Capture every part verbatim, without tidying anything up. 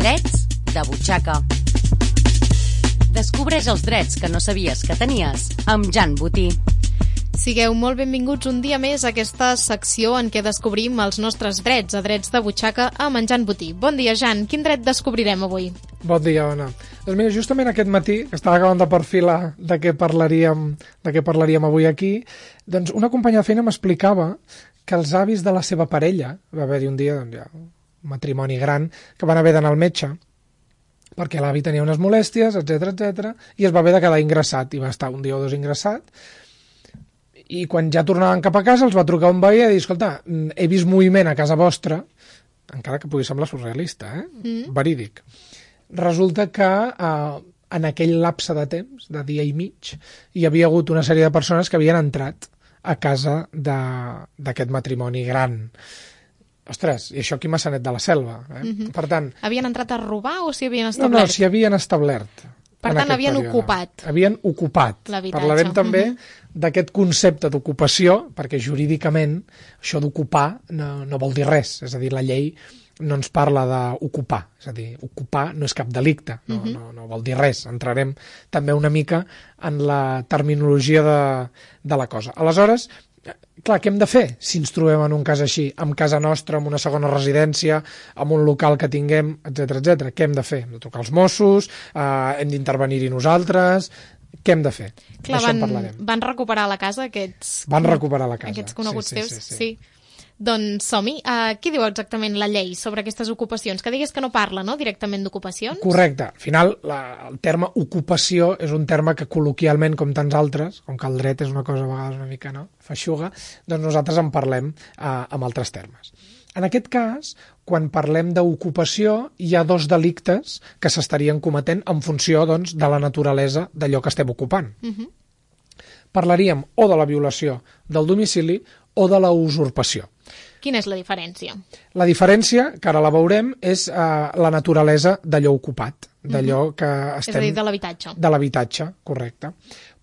Drets de butxaca. Descobreix els drets que no sabies que tenies amb Jan Botí. Sigueu molt benvinguts un dia més a aquesta secció en què descobrim els nostres drets, a Drets de butxaca amb en Jan Botí. Bon dia, Jan. Quin dret descobrirem avui? Bon dia, Ona. Doncs mira, justament aquest matí, que estava acabant de perfilar de què parlaríem, de què parlaríem avui aquí, doncs una companya de feina m'explicava que els avis de la seva parella, va haver-hi un dia, doncs ja, un matrimoni gran, que van haver d'anar al metge, perquè l'avi tenia unes molèsties, etcètera, etcètera, i es va haver de quedar ingressat, i va estar un dia o dos ingressat, i quan ja tornaven cap a casa els va trucar un veí i dir, escolta, he vist moviment a casa vostra, encara que pugui semblar surrealista, eh? Mm. Verídic. Resulta que eh, en aquell lapse de temps, de dia i mig, hi havia hagut una sèrie de persones que havien entrat a casa d'aquest matrimoni gran. Ostres, i això aquí a Maçanet de la Selva. Eh? Mm-hmm. Per tant... Havien entrat a robar o s'hi havien establert? No, no, s'hi havien establert. Per tant, havien període. ocupat. Havien ocupat. L'habitatge. Parlarem també mm-hmm. d'aquest concepte d'ocupació, perquè jurídicament això d'ocupar no, no vol dir res. És a dir, la llei no ens parla d'ocupar. És a dir, ocupar no és cap delicte, no, mm-hmm. no, no vol dir res. Entrarem també una mica en la terminologia de, de la cosa. Aleshores, clar, què hem de fer si ens trobem en un cas així, amb casa nostra, amb una segona residència, amb un local que tinguem, etcètera, etcètera? Què hem de fer? Hem de trucar als Mossos, eh, hem d'intervenir-hi nosaltres, què hem de fer? Clar, D'això van, en parlarem. Van recuperar la casa aquests... Van recuperar la casa. Aquests coneguts sí, sí, teus, sí. sí. sí. Doncs som-hi. Uh, què diu exactament la llei sobre aquestes ocupacions? Que digues que no parla, no?, directament d'ocupacions? Correcte. Al final, la, el terme ocupació és un terme que col·loquialment, com tants altres, com que el dret és una cosa a vegades una mica, no?, feixuga, doncs nosaltres en parlem uh, amb altres termes. En aquest cas, quan parlem d'ocupació, hi ha dos delictes que s'estarien cometent en funció, doncs, de la naturalesa d'allò que estem ocupant. Uh-huh. Parlaríem o de la violació del domicili o de la usurpació. Quina és la diferència? La diferència, que ara la veurem, és eh, la naturalesa d'allò ocupat, d'allò mm-hmm. que estem... És a dir, de l'habitatge. De l'habitatge, correcte.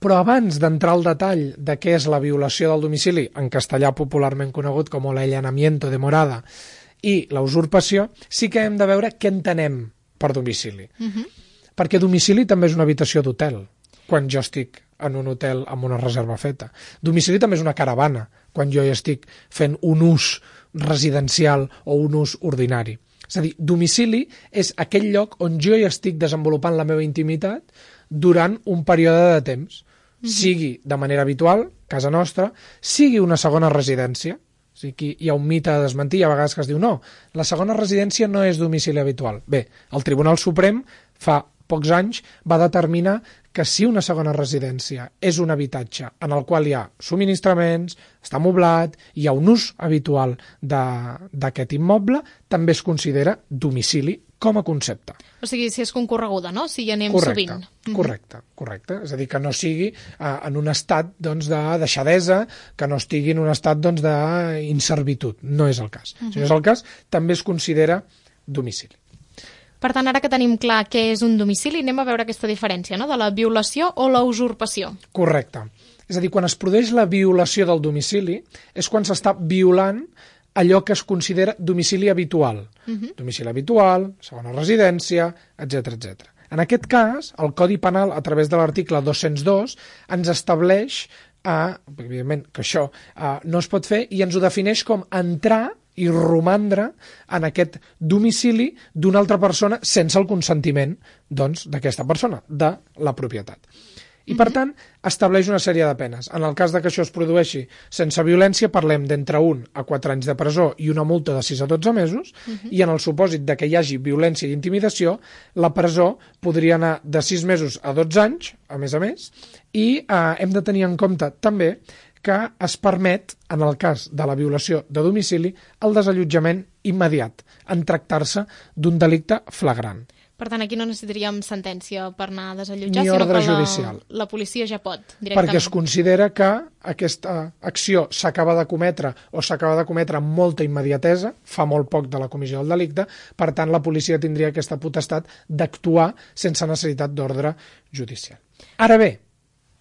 Però abans d'entrar al detall de què és la violació del domicili, en castellà popularment conegut com l'allanamiento de morada, i la usurpació, sí que hem de veure què entenem per domicili. Mm-hmm. Perquè domicili també és una habitació d'hotel, quan jo estic en un hotel amb una reserva feta. Domicili també és una caravana, quan jo hi estic fent un ús residencial o un ús ordinari. És a dir, domicili és aquell lloc on jo hi estic desenvolupant la meva intimitat durant un període de temps, mm-hmm. sigui de manera habitual, casa nostra, sigui una segona residència. O sigui, hi ha un mite a desmentir, a vegades que es diu no, la segona residència no és domicili habitual. Bé, el Tribunal Suprem fa pocs anys va determinar que si una segona residència és un habitatge en el qual hi ha subministraments, està amoblat, hi ha un ús habitual d'aquest immoble, també es considera domicili com a concepte. O sigui, si és concorreguda, no? Si hi anem correcte, sovint. Correcte, correcte. És a dir, que no sigui eh, en un estat doncs, de deixadesa, que no estigui en un estat doncs, d'inservitud. No és el cas. Uh-huh. Si no és el cas, també es considera domicili. Per tant, ara que tenim clar què és un domicili, anem a veure aquesta diferència, no?, de la violació o la usurpació. Correcte. És a dir, quan es produeix la violació del domicili, és quan s'està violant allò que es considera domicili habitual. Uh-huh. Domicili habitual, segona residència, etcètera, etcètera. En aquest cas, el Codi Penal, a través de l'article dos-cents dos, ens estableix, eh, evidentment, que això eh, no es pot fer, i ens ho defineix com entrar i romandre en aquest domicili d'una altra persona sense el consentiment doncs, d'aquesta persona, de la propietat. I, per tant, estableix una sèrie de penes. En el cas de que això es produeixi sense violència, parlem d'entre un a quatre anys de presó i una multa de sis a dotze mesos, uh-huh. i en el supòsit de que hi hagi violència i intimidació, la presó podria anar de sis mesos a dotze anys, a més a més, i eh, hem de tenir en compte també que es permet, en el cas de la violació de domicili, el desallotjament immediat, en tractar-se d'un delicte flagrant. Per tant, aquí no necessitaríem sentència per anar a desallotjar, ni sinó ordre que la, judicial. la policia ja pot, directament. Perquè es considera que aquesta acció s'acaba de cometre o s'acaba de cometre amb molta immediatesa, fa molt poc de la comissió del delicte, per tant, la policia tindria aquesta potestat d'actuar sense necessitat d'ordre judicial. Ara bé,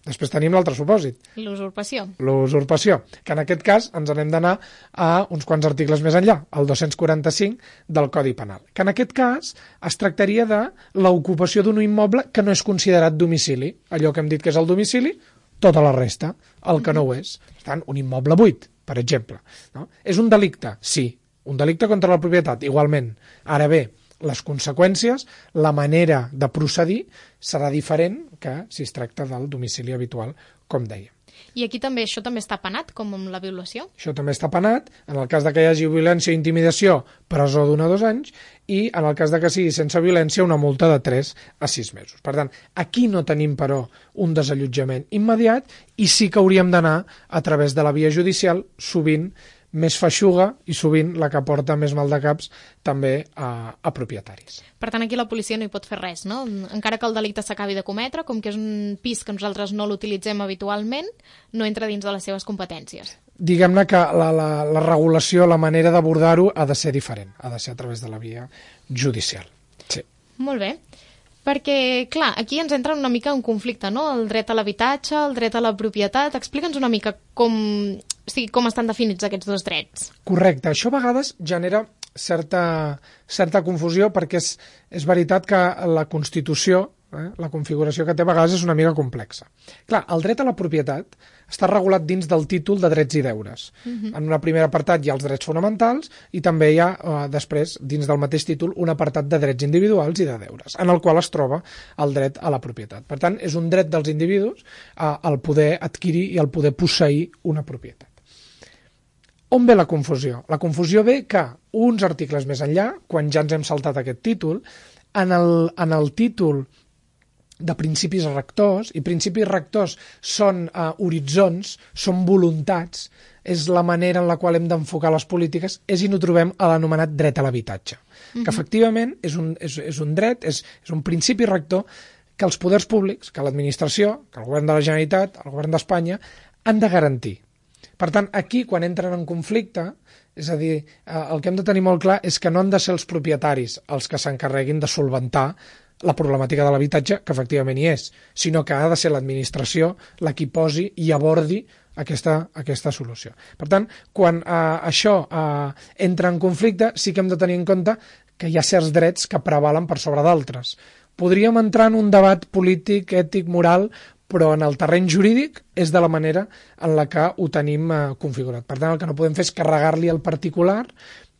Després tenim l'altre supòsit. L'usurpació. L'usurpació, que en aquest cas ens n'hem d'anar a uns quants articles més enllà, el dos-cents quaranta-cinc del Codi Penal, que en aquest cas es tractaria de l'ocupació d'un immoble que no és considerat domicili. Allò que hem dit que és el domicili, tota la resta, el que no ho és. Per tant, un immoble buit, per exemple. No? És un delicte? Sí. Un delicte contra la propietat, igualment. Ara bé, les conseqüències, la manera de procedir serà diferent que si es tracta del domicili habitual, com deia. I aquí també, això també està penat, com amb la violació? Això també està penat, en el cas de que hi hagi violència o intimidació, presó d'un a dos anys, i en el cas de que sigui sense violència, una multa de tres a sis mesos. Per tant, aquí no tenim, però, un desallotjament immediat i sí que hauríem d'anar a través de la via judicial, sovint més feixuga i sovint la que porta més mal de caps també a, a propietaris. Per tant, aquí la policia no hi pot fer res, no? Encara que el delicte s'acabi de cometre, com que és un pis que nosaltres no l'utilitzem habitualment, no entra dins de les seves competències. Diguem-ne que la, la, la regulació, la manera d'abordar-ho ha de ser diferent, ha de ser a través de la via judicial. Sí. Molt bé. Perquè, clar, aquí ens entra una mica un conflicte, no? El dret a l'habitatge, el dret a la propietat. Explica'ns una mica com, o sigui, com estan definits aquests dos drets. Correcte. Això a vegades genera certa, certa confusió perquè és, és veritat que la Constitució, eh, la configuració que té a vegades és una mica complexa. Clar, el dret a la propietat està regulat dins del títol de drets i deures. Uh-huh. En un primer apartat hi ha els drets fonamentals i també hi ha, eh, després, dins del mateix títol, un apartat de drets individuals i de deures, en el qual es troba el dret a la propietat. Per tant, és un dret dels individus eh, el poder adquirir i el poder posseir una propietat. On ve la confusió? La confusió ve que uns articles més enllà, quan ja ens hem saltat aquest títol, en el, en el títol de principis rectors, i principis rectors són uh, horitzons, són voluntats, és la manera en la qual hem d'enfocar les polítiques, és i no trobem a l'anomenat dret a l'habitatge, mm-hmm. que efectivament és un, és, és un dret, és, és un principi rector que els poders públics, que l'administració, que el govern de la Generalitat, el govern d'Espanya, han de garantir. Per tant, aquí, quan entren en conflicte, és a dir, eh, el que hem de tenir molt clar és que no han de ser els propietaris els que s'encarreguin de solventar la problemàtica de l'habitatge, que efectivament hi és, sinó que ha de ser l'administració la qui posi i abordi aquesta, aquesta solució. Per tant, quan eh, això eh, entra en conflicte, sí que hem de tenir en compte que hi ha certs drets que prevalen per sobre d'altres. Podríem entrar en un debat polític, ètic, moral, però en el terreny jurídic és de la manera en la que ho tenim eh, configurat. Per tant, el que no podem fer és carregar-li al particular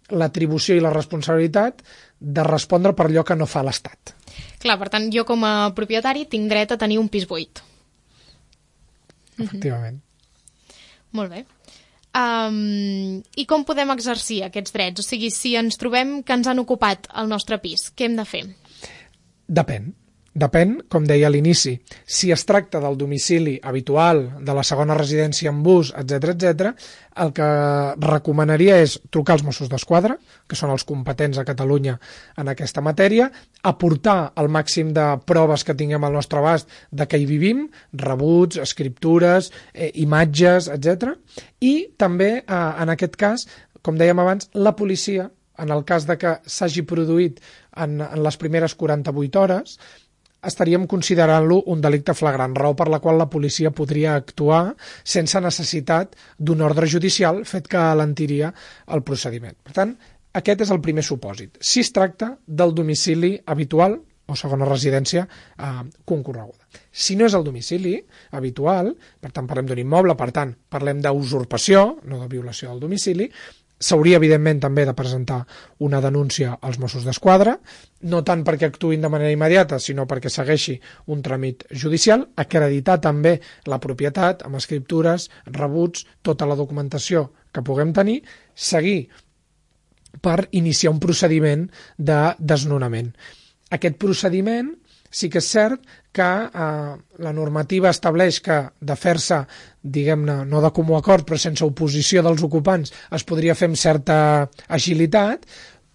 l'atribució i la responsabilitat de respondre per allò que no fa l'Estat. Clar, per tant, jo com a propietari tinc dret a tenir un pis buit. Efectivament. Mm-hmm. Molt bé. Um, I com podem exercir aquests drets? O sigui, si ens trobem que ens han ocupat el nostre pis, què hem de fer? Depèn. Depèn, com deia a l'inici, si es tracta del domicili habitual, de la segona residència en bus, etcètera, etcètera, el que recomanaria és trucar als Mossos d'Esquadra, que són els competents a Catalunya en aquesta matèria, aportar el màxim de proves que tinguem al nostre abast de què hi vivim, rebuts, escriptures, eh, imatges, etcètera, i també, eh, en aquest cas, com dèiem abans, la policia, en el cas de que s'hagi produït en, en les primeres quaranta-vuit hores, estaríem considerant-lo un delicte flagrant, raó per la qual la policia podria actuar sense necessitat d'un ordre judicial, fet que alentiria el procediment. Per tant, aquest és el primer supòsit. Si es tracta del domicili habitual o segona residència eh, concorreguda. Si no és el domicili habitual, per tant parlem d'un immoble, per tant parlem d'usurpació, no de violació del domicili, s'hauria, evidentment, també de presentar una denúncia als Mossos d'Esquadra, no tant perquè actuïn de manera immediata, sinó perquè segueixi un tràmit judicial, acreditar també la propietat amb escriptures, rebuts, tota la documentació que puguem tenir, seguir per iniciar un procediment de desnonament. Aquest procediment sí que és cert que eh, la normativa estableix que de fer-se, diguem-ne, no de comú acord, però sense oposició dels ocupants, es podria fer amb certa agilitat,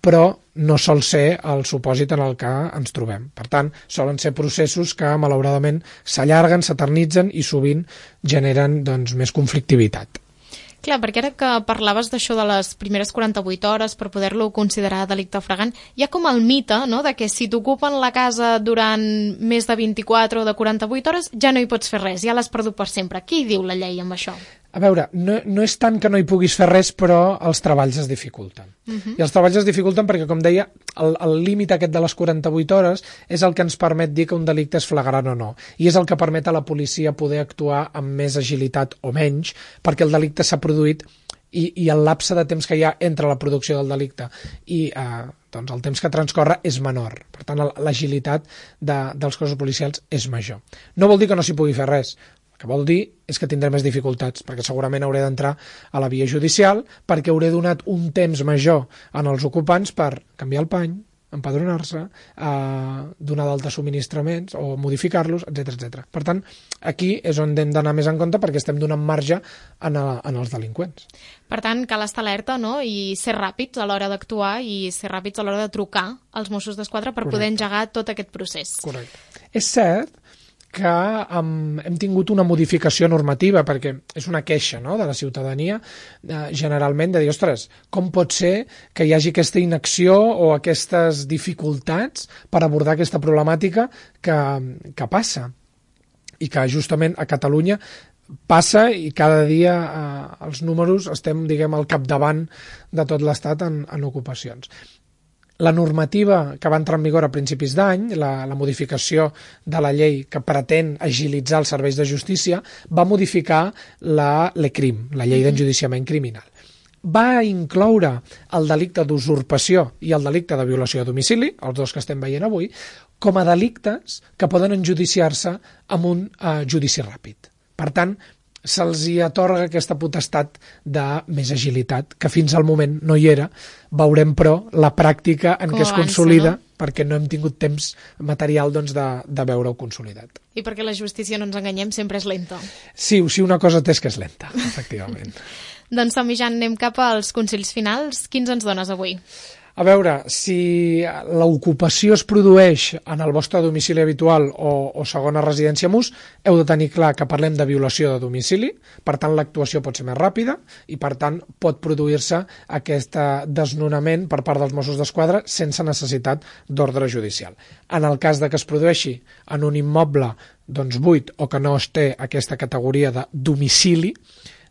però no sol ser el supòsit en el que ens trobem. Per tant, solen ser processos que, malauradament, s'allarguen, s'eternitzen i sovint generen doncs, més conflictivitat. Clar, perquè ara que parlaves d'això de les primeres quaranta-vuit hores per poder-lo considerar delicte flagrant, hi ha com el mite, no?, de que si t'ocupen la casa durant més de vint-i-quatre o de quaranta-vuit hores ja no hi pots fer res, ja l'has perdut per sempre. Què hi diu la llei amb això? A veure, no, no és tant que no hi puguis fer res, però els treballs es dificulten. Uh-huh. I els treballs es dificulten perquè, com deia, el, el límit aquest de les quaranta-vuit hores és el que ens permet dir que un delicte és flagrant o no. I és el que permet a la policia poder actuar amb més agilitat o menys, perquè el delicte s'ha produït i, i el lapse de temps que hi ha entre la producció del delicte i eh, doncs el temps que transcorre és menor. Per tant, l'agilitat de, dels cossos policials és major. No vol dir que no s'hi pugui fer res. El que vol dir és que tindré més dificultats, perquè segurament hauré d'entrar a la via judicial, perquè hauré donat un temps major en els ocupants per canviar el pany, empadronar-se, eh, donar d'altres subministraments o modificar-los, etcètera, etcètera. Per tant, aquí és on hem d'anar més en compte perquè estem donant marge en, a, en els delinqüents. Per tant, cal estar alerta, no?, i ser ràpids a l'hora d'actuar i ser ràpids a l'hora de trucar als Mossos d'Esquadra per Correcte. Poder engegar tot aquest procés. Correcte. És cert que um, hem tingut una modificació normativa, perquè és una queixa, no?, de la ciutadania, eh, generalment, de dir, ostres, com pot ser que hi hagi aquesta inacció o aquestes dificultats per abordar aquesta problemàtica que, que passa i que justament a Catalunya passa i cada dia eh, els números estem, diguem, al capdavant de tot l'Estat en, en ocupacions. La normativa que va entrar en vigor a principis d'any, la, la modificació de la llei que pretén agilitzar els serveis de justícia, va modificar la l'ECRIM, la llei d'enjudiciament criminal. Va incloure el delicte d'usurpació i el delicte de violació a domicili, els dos que estem veient avui, com a delictes que poden enjudiciar-se amb un eh, judici ràpid. Per tant, se'ls hi atorga aquesta potestat de més agilitat, que fins al moment no hi era. Veurem, però, la pràctica en Com què es avança, consolida, no? Perquè no hem tingut temps material doncs, de, de veure-ho consolidat. I perquè la justícia, no ens enganyem, sempre és lenta. Sí, sí, una cosa té és que és lenta, efectivament. Doncs, som-hi, Jan, anem cap als consells finals. Quins ens dones avui? A veure, si l'ocupació es produeix en el vostre domicili habitual o, o segona residència M U S, heu de tenir clar que parlem de violació de domicili, per tant l'actuació pot ser més ràpida i per tant pot produir-se aquest desnonament per part dels Mossos d'Esquadra sense necessitat d'ordre judicial. En el cas de que es produeixi en un immoble doncs, buit o que no es té aquesta categoria de domicili,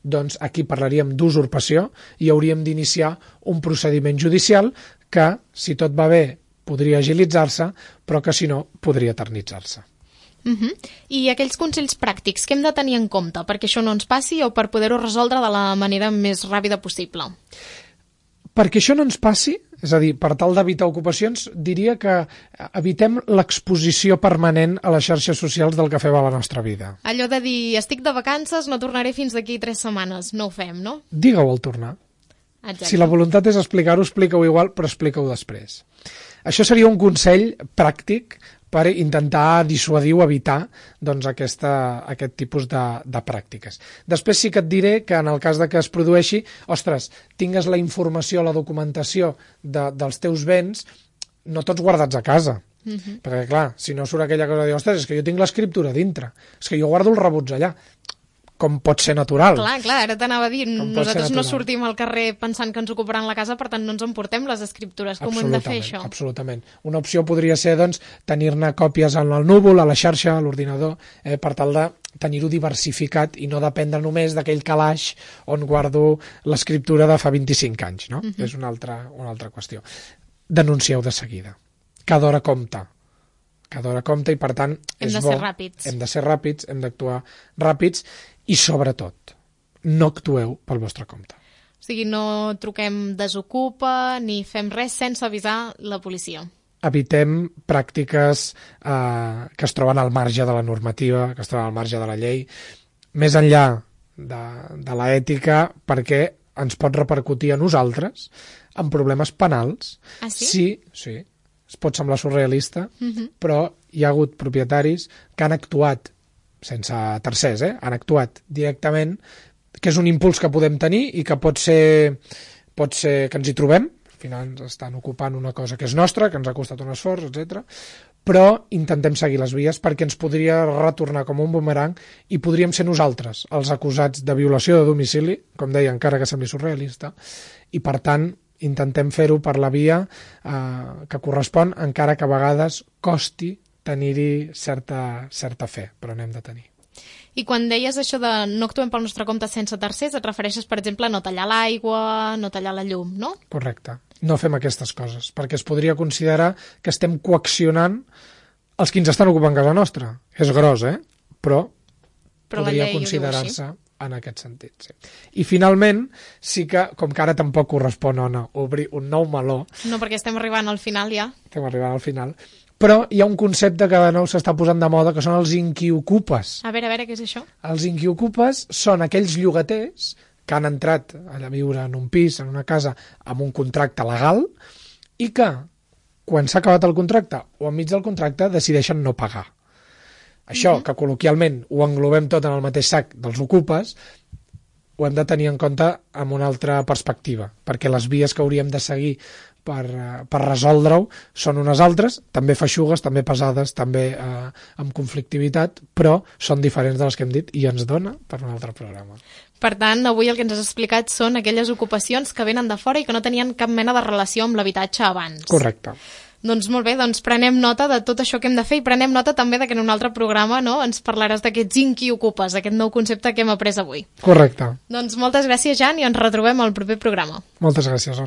doncs aquí parlaríem d'usurpació i hauríem d'iniciar un procediment judicial que, si tot va bé, podria agilitzar-se, però que, si no, podria eternitzar-se. Uh-huh. I aquells consells pràctics, què hem de tenir en compte perquè això no ens passi o per poder-ho resoldre de la manera més ràpida possible? Perquè això no ens passi, és a dir, per tal d'evitar ocupacions, diria que evitem l'exposició permanent a les xarxes socials del que fem a la nostra vida. Allò de dir, estic de vacances, no tornaré fins d'aquí tres setmanes. No ho fem, no? Digue-ho al tornar. Exacte. Si la voluntat és explicar-ho, explica-ho igual, però explica-ho després. Això seria un consell pràctic per intentar dissuadir o evitar doncs, aquesta, aquest tipus de, de pràctiques. Després sí que et diré que en el cas de que es produeixi, ostres, tingues la informació, la documentació de, dels teus béns, no tots guardats a casa. Uh-huh. Perquè, clar, si no surt aquella cosa de dir, ostres, és que jo tinc l'escriptura dintre, és que jo guardo els rebuts allà. Com pot ser natural. Clar, clar, ara t'anava a dir, nosaltres no sortim al carrer pensant que ens ocuparan la casa, per tant no ens emportem les escriptures. Com hem de fer això? Absolutament. Una opció podria ser, doncs, tenir-ne còpies en el núvol, a la xarxa, a l'ordinador, eh, per tal de tenir-ho diversificat i no dependre només d'aquell calaix on guardo l'escriptura de fa vint-i-cinc anys, no? Uh-huh. És una altra, una altra qüestió. Denuncieu de seguida. Cada hora compta. Cada hora compta i, per tant, hem és de bo. ser ràpids. Hem de ser ràpids, hem d'actuar ràpids i, sobretot, no actueu pel vostre compte. O sigui, no truquem desocupa ni fem res sense avisar la policia. Evitem pràctiques eh, que es troben al marge de la normativa, que es troben al marge de la llei, més enllà de, de l'ètica, perquè ens pot repercutir a nosaltres en problemes penals. Ah, sí? Sí, sí. Es pot semblar surrealista, uh-huh. però hi ha hagut propietaris que han actuat sense tercers, eh? Han actuat directament, que és un impuls que podem tenir i que pot ser, pot ser que ens hi trobem final ens estan ocupant una cosa que és nostra, que ens ha costat un esforç, etcètera. Però intentem seguir les vies perquè ens podria retornar com un bumerang i podríem ser nosaltres els acusats de violació de domicili, com deia, encara que sembli surrealista, i per tant intentem fer-ho per la via eh, que correspon, encara que a vegades costi tenir-hi certa, certa fe, però n'hem de tenir. I quan deies això de no actuem pel nostre compte sense tercers, et refereixes, per exemple, a no tallar l'aigua, no tallar la llum, no? Correcte. No fem aquestes coses, perquè es podria considerar que estem coaccionant els que ens estan ocupant casa nostra. És gros, eh? Però, Però podria considerar-se en aquest sentit. Sí. I finalment, sí que, com que ara tampoc correspon o no, obrir un nou meló... No, perquè estem arribant al final ja. Estem arribant al final. Però hi ha un concepte que de nou s'està posant de moda, que són els inquiocupes. A veure, a veure, què és això? Els inquiocupes són aquells llogaters que han entrat a viure en un pis, en una casa, amb un contracte legal, i que, quan s'ha acabat el contracte o enmig del contracte, decideixen no pagar. Això, uh-huh. que col·loquialment ho englobem tot en el mateix sac dels ocupes, ho hem de tenir en compte amb una altra perspectiva, perquè les vies que hauríem de seguir per, per resoldre-ho són unes altres, també feixugues, també pesades, també eh, amb conflictivitat, però són diferents de les que hem dit i ens dona per un altre programa. Per tant, avui el que ens has explicat són aquelles ocupacions que venen de fora i que no tenien cap mena de relació amb l'habitatge abans. Correcte. Doncs molt bé, doncs prenem nota de tot això que hem de fer i prenem nota també de que en un altre programa, no, ens parlaràs d'aquests inquiocupes, aquest nou concepte que hem après avui. Correcte. Doncs moltes gràcies, Jan, i ens retrobem al proper programa. Moltes gràcies, Ona.